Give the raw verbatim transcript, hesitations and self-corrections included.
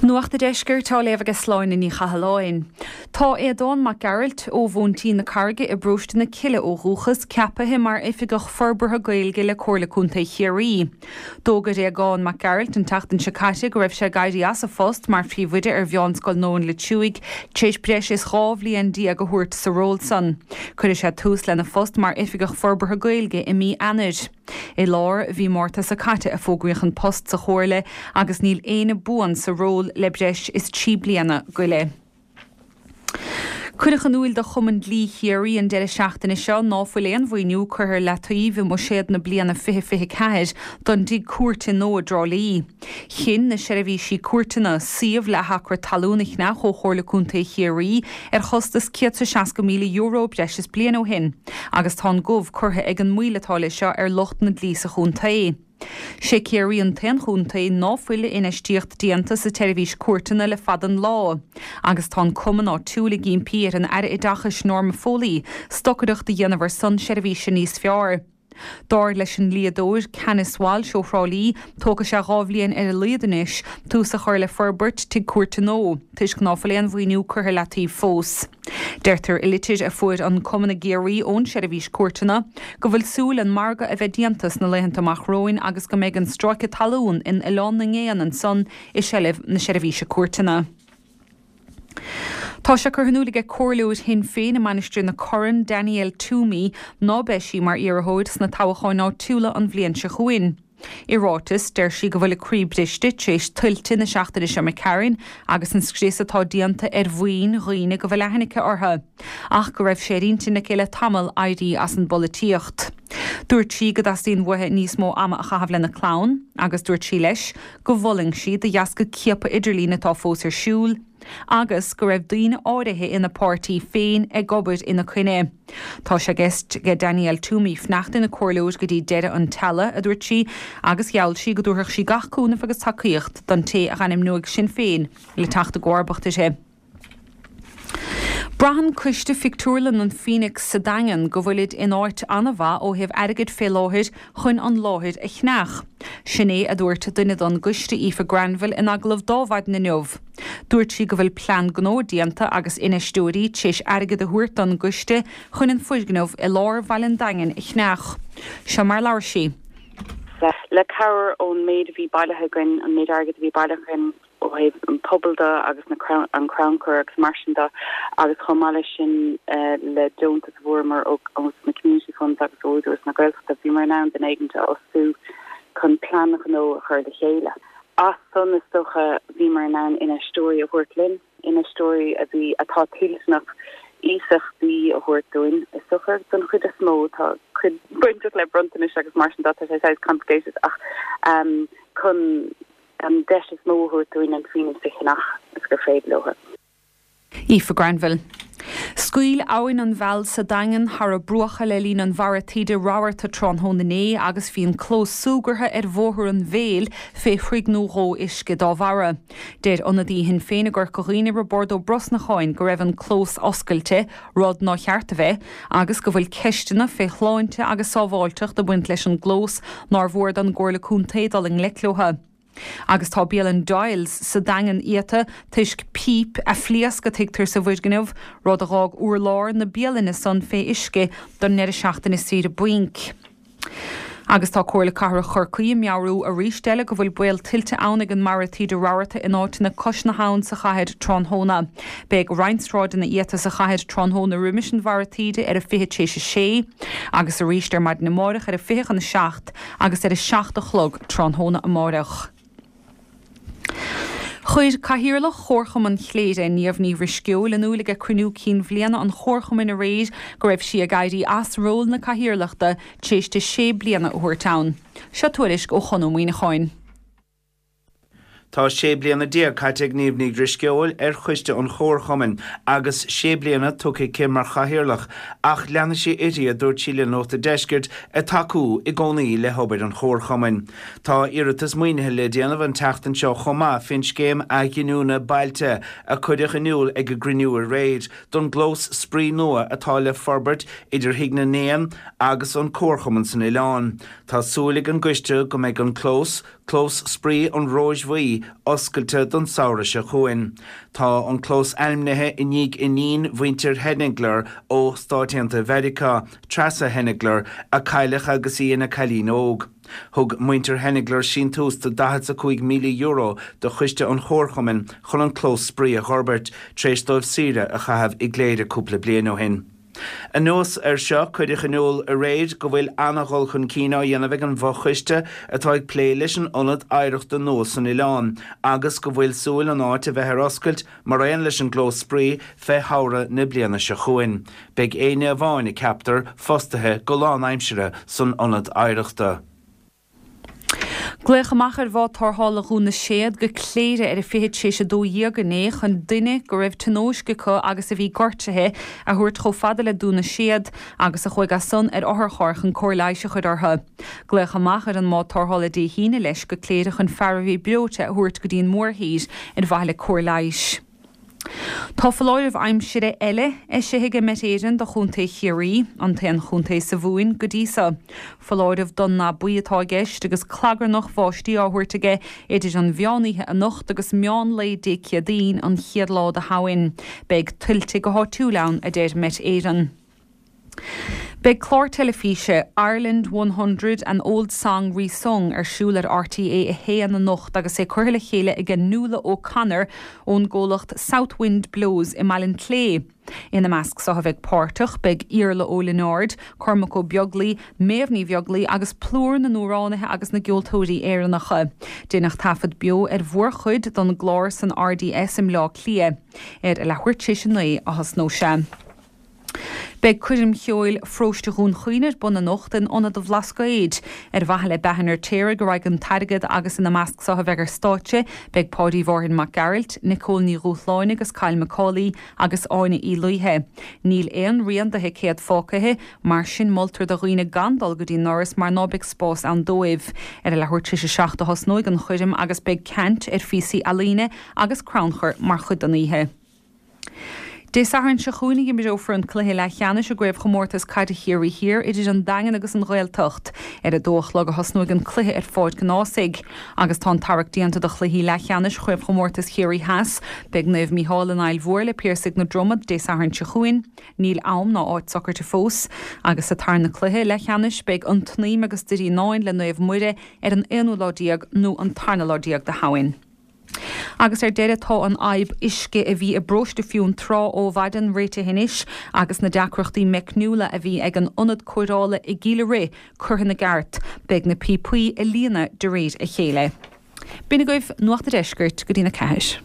Nuacht an Deiscirt á léamh ag Sláine Ní Chathalláin. Tá Aodán Mac Gearailt ó Mhóintín na Carraige i bparóiste na Cille ó dhúchas ceaptha mar Oifigeach Forbartha Gaeilge le Comhairle Contae Chiarraí. D'fhógair Aodán Mac Gearailt an tseachtain seo caite go raibh sé ag éirí as a phost mar phríomhoide ar Mheánscoil Nóin Loitsiúigh tar éis breis is dhá bhliain déag a thabhairt sa ról san. Cuirfidh sé tús lena phost mar Oifigeach Forbartha Gaeilge i mí Eanáir. I lár mhí Márta seo caite a fógraíodh an post sa chomhairle agus níl éinne buan sa ról le breis is trí bliana go leith. Cuireadh in iúl do Chumann Dlí Chiarraí an deireadh seachtaine seo ná fuil aon mhaoiniú curtha le taobh i mbuiséad na bliana fiche fiche ceathair don dtigh cúirte nua i dTrá Lí. Chinn na seirbhísí cúirteanna suíomh le hacra talún a cheannach ó Chomhairle Contae Chiarraí ar chostas céad is seasca míle euro breis is bliain ó shin, agus tá an gomh curtha ag an moill atá leis seo ar lucht na dlí sa chontae. Sé Ciarraí an t-aon chontae ná fuil infheistíocht déanta sa tseirbhís cúirteanna le fada an lá, agus tá an cumann áitiúil ag impí ar an Aire Oideachais Norma Foley stocaireacht a dhéanamh ar son seirbhíse níos fearr. Dar leis an dlíodóir Canice Walsh ó Thrá Lí, tógfaidh sé dhá bhliain ar a laghad anois tús a chur le forbairt tigh cúirte nua, toisc ná fuil aon mhaoiniú curtha le taobh fós. Deirtear i litir a fuair an cumann i gCiarraí ón seirbhís cúirteanna go bhfuil súil an margadh a bheith déanta sna laethanta amach romhainn agus go mbeidh an stráice talún in Oileán na nGéanna ansan i seilbh na seirbhíse cúirteanna. Tá sé curtha in iúl aige comhairleoir Shinn Féin i Mainistir na Corann Danielle Toomey ná beidh sí mar iarrthóir sna toghcháin áitiúla an bhliain seo chugainn. I ráiteas deir sí go bhfuil a croí briste tar éis tuilte na seachtaine seo imigh tharainn agus an scrios atá déanta ar mhaoin dhaoine go bhfuil aithne aici orthu, ach go raibh sé ar intinn aici le tamall éirí as an bpolaitíocht. Dúirt sí go dteastaíonn uaithi níos mó ama a chaitheamh lena clann, agus dúirt sí leis go bhfulaing sí de dheasca ciapadh idirlín atá fós ar siúl, agus go raibh daoine áirithe ina páirtí féin ag obair ina coinne. Tá sé i gceist ag Danielle Toomey fanacht ina comhairleoir go dtí deireadh an tseala, a dúirt sí, agus gheall sí go dtabharfadh sí gach cúnamh agus tacaíocht don té a d'ainmneodh Sinn Féin le teacht i gcomharbacht uirthi. Braitheann coiste Phictiúrlann an Phoenix sa Daingean go bhfuilid in áit an-mhaith ó thaobh airgid fé láthair chun an láthair a cheannach. Sin é a dúirt duine don gcoiste Aoife Granville in agallamh d'Adhmhaidin inniu. Dúirt sí go bhfuil plean gnó déanta agus infheisteoirí tar éis airgead a thabhairt don gcoiste chun an foirgneamh i lár Bhaile an Daingin a cheannach. Seo mar labhair sí. Le cabhair ón méid a bhí bailithe againn an méid airgid a bhí bailithe againn ó thaobh an pobal de agus na an crannchur agus mar sin de agus chomh maith leis sin le deontas a fuaireamar ó na community funds agus ó Údarás na Gaeltachta bhí mar an den éigin a fhostú chun plean gnó a chur le chéile. As san is dócha bhí mar an infheisteoirí a thabhairt linn, infheisteoirí a bhí atá toilteanach iasachtaí a thabhairt dúinn is dócha don chuid is mó tá cuid bainteach le bronntanais agus mar sin de tá sé complicated ach um, chun an deis is mó a thabhairt dúinn an Phoenix a cheannach is gur féidir leo. Aoife Granville. Scaoil abhainn an Mheall sa Daingean thar a bruacha le linn an bharra taoide rabharta tráthnóna inné agus bhí an clós súgartha ar Bhóthar an Mhéil fé throigh nó dhó uisce dá bharra. Deir ionadaí Shinn Féin i gCorca Dhuibhne Roibeárd Ó Brosnacháin go raibh an clós oscailte, rud nár cheart a bheith, agus go bhfuil ceisteanna fé shláinte agus sábháilteacht ag baint leis an gclós nár mhór don gComhairle Contae dul i ngleic leo. Agus tá bialann Doyle's sa Daingean iata toisc píp a phléasc a tuigtear sa bhfoirgneamh, rud a d'fhág urlár na bialainne san fé uisce don ndeireadh seachtaine saoire bainc. Agus tá Comhairle Cathrach Chorcaí ag meabhrú arís eile go bhfuil baol tuilte ann ag an mbarra taoide rabharta in áiteanna cois na habhann sa chathair tráthnóna. Beidh roinnt sráideanna iata sa chathair tráthnóna roimis an bharra taoide ar a fiche tar éis a sé, agus arís ar maidin amárach ar a fiche chun a seacht agus ar a seacht a chlog tráthnóna amárach. Chuir Cathaoirleach Chomharchumann Chléire Niamh Ní Dhrisceoil in iúl ag cruinniú cinn bhliana an Chomharchumainn aréir go raibh sí ag éirí as ról na cathaoirleachta tar éis di sé bliana a thabhairt ann. Seo tuairisc ó Chon Ó Muíneacháin. Tá sé bliana déag caite ag Niamh Ní Dhrisceoil ar choiste an Chomharchumainn agus sé bliana tugtha aici mar chathaoirleach ach leanfaidh sí uirthi a dúirt sí le Nuacht an Deiscirt ag tacú i gcónaí le hobair an Chomharchumainn. Tá iarratas maoinithe le déanamh an tseachtain seo chomh maith faoin scéim athghiniúna bailte a cuireadh in iúl ag an gcruinniú aréir don gclós spraoi nua atá le forbairt idir Thigh na nÉan agus an Comharchumann san oileán. Tá súil ag an gcoiste go mbeidh an clós Clós Spraoi an Róis Bhuí oscailte don samhradh seo chugainn. Tá an clós ainmnithe i ndiaidh iníon mhuintir Henigler ó Stáit Aontaithe Mheiriceá, Treasa Henigler, a cailleadh agus í ina cailín óg. Thug muintir Henigler síntiús de daichead 's a cúig míle euro do choiste an Chomharchumainn chun an clós spraoi a dh'fhorbairt, tar éis dóibh saoire a chaitheamh i gCléire cúpla bliain ó shin. Anuas air seo, cuireadh in iúl aréir go bhfuil ana-dhul chun cinn á dhéanamh ag an bhfochoiste atá ag plé leis an ionad oidhreachta nua san oileán agus go bhfuil súil an áit a bheith ar oscailt mar aon leis an gclós spraoi fé shamhradh na bliana seo chugainn. Beidh éinne amháin, a ceaptar, fostaithe go lánaimseartha san ionad oidhreachta. Glaodh amach ar bhád tarrthála Dhún na Séad go Cléire ar a fiche tar éis a dó dhéag inné chun duine go raibh tionóisc acu agus a bhí gortaithe a thabhairt chomh fada le Dún na Séad agus a chuaigh as san ar otharcharr chun cóir leighis a chur orthu. Glaodh amach ar an mbád tarrthála Dé hAoine leis go Cléire chun fear a bhí breoite a thabhairt go dtí an mórthír ar mhaithe le cóir leighis. Tá foláireamh aimsire eile eisithe ag Met Éireann do Chontae Chiarraí, an t-aon chontae sa Mhumhain go dtí seo. Foláireamh donn ná buí atá i gceist agus clagarnach bháistí á thabhairt aige idir an mheán oíche anocht agus meán lae Dé Céadaoin, an chéad lá de Shamhain. Beidh tuilte go háitiúil ann, a deir Met Éireann. Beidh clár teilifíse Ireland one hundred, An Old Song Resung ar siúl ar RTÉ a haon anocht agus é curtha le chéile ag Nuala O'Connor ón gcomhlacht South Wind Blows i mBaile an tSléibhe. Ina measc so a bheidh páirteach beidh Iarla Ó Lionáird, Cormac Ó Beaglaoi, Méabh Ní Bheaglaoi agus plúr na n-amhránaithe agus na gceoltóirí Éireannacha. Deineadh taifead beo ar mhórchuid don gclár san RDS i mBleá Cliath. Ar a leathuair tar éis a naoi a thosnóidh sé. Beidh coirm cheoil Pharóiste Dhún Chaoin ar bun anocht in Ionad an Bhlascaoid. Ar mhaithe le Beatha an Fheirtéaraigh a raghaidh an t-airgead agus ina measc so a bheidh ar stáitse beidh Páidí Mhárthain Mac Gearailt, Nicole Ní Dhúshláine agus Kyle McCauley agus Áine Uí Laoithe. Níl aon rian de thicéad fágtha, mar sin moltar do dhaoine gan dul go dtí an ndoras mar ná beidh spás ann dóibh. Ar a leathuair tar éis a seacht a thosnóidh an choirm agus beidh caint ar phíosaí ealaíne agus crannchur mar chuid den oíche. Dé Sathairn seo chugainn a imreofar an cluiche leathcheannais i gCraobhchomórtas Caide Chiarraí Thiar idir an Daingean agus an Ghaeltacht. Ar a dó a chlog a thosnóidh an cluiche ar Pháirc an Ághasaigh. Agus tá an tarrac déanta do chluichí leathcheannais Chraobhchomórtas Chiarraí Theas. Beidh Naomh Mícheál in Aill Mhór le Piarsaigh na Droma Dé Sathairn seo chugainn. Níl am ná áit socraithe fós. Agus sa tarna cluiche leathcheannais beidh an tSnaidhm agus Doire Fhíonáin le Naomh Muire ar an aonú lá déag nó an tarna lá déag de Shamhain. Agus ar deireadh tá an fhadhb uisce a bhí i bparóiste Fionntrá ó mhaidin réitithe anois agus na deacrachtaí meicniúla a bhí ag an ionad cóireála i gCill a' Rith curtha ina gceart. Beidh na píopaí a líonadh de réir a chéile. B'in agaibh Nuacht a' Deiscirt go dtí'n a ceathair.